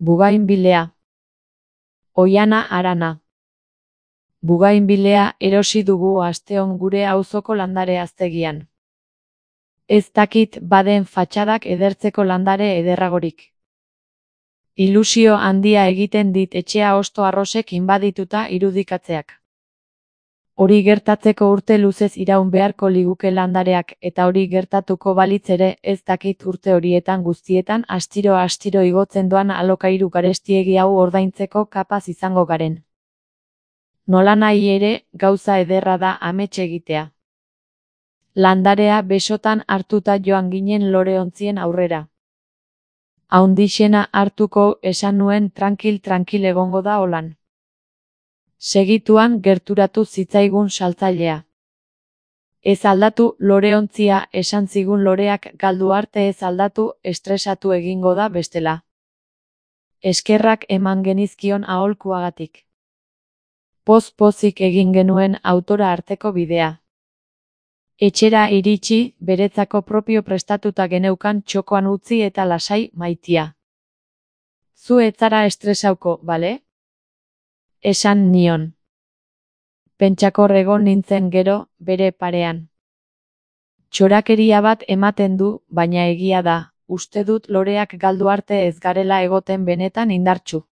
Bugainbilea. Oihana Arana. Bugainbilea erosi dugu asteon gure auzoko landare haztegian. Ez dakit baden fatxadak edertzeko landare ederragorik. Ilusio handia egiten dit etxea hosto arrosek inbadituta irudikatzeak. Hori gertatzeko urte luzez iraun beharko liguke landareak, eta hori gertatuko balitz ere, ez dakit urte horietan guztietan astiro igotzen doan alokairu garestiegi hau ordaintzeko kapaz izango garen. Nolanahi ere, gauza ederra da amets egitea. Landarea besotan hartuta joan ginen loreontzien aurrera. Haundixena hartuko esan nuen tranquil egongo da holan. Segituan gerturatu zitzaigun saltzailea. Ez aldatu loreontzia esan zigun loreak galdu arte ez aldatu estresatu egingo da bestela. Eskerrak eman genizkion aholkuagatik. Poz-pozik egin genuen autora arteko bidea. Etxera iritsi, beretzako propio prestatuta geneukan txokoan utzi eta lasai maitia. Zu ez zara estresauko, bale? Esan nion. Pentsakor egon nintzen gero, bere parean. Txorakeria bat ematen du, baina egia da, uste dut loreak galdu arte ez garela egoten benetan indartsu.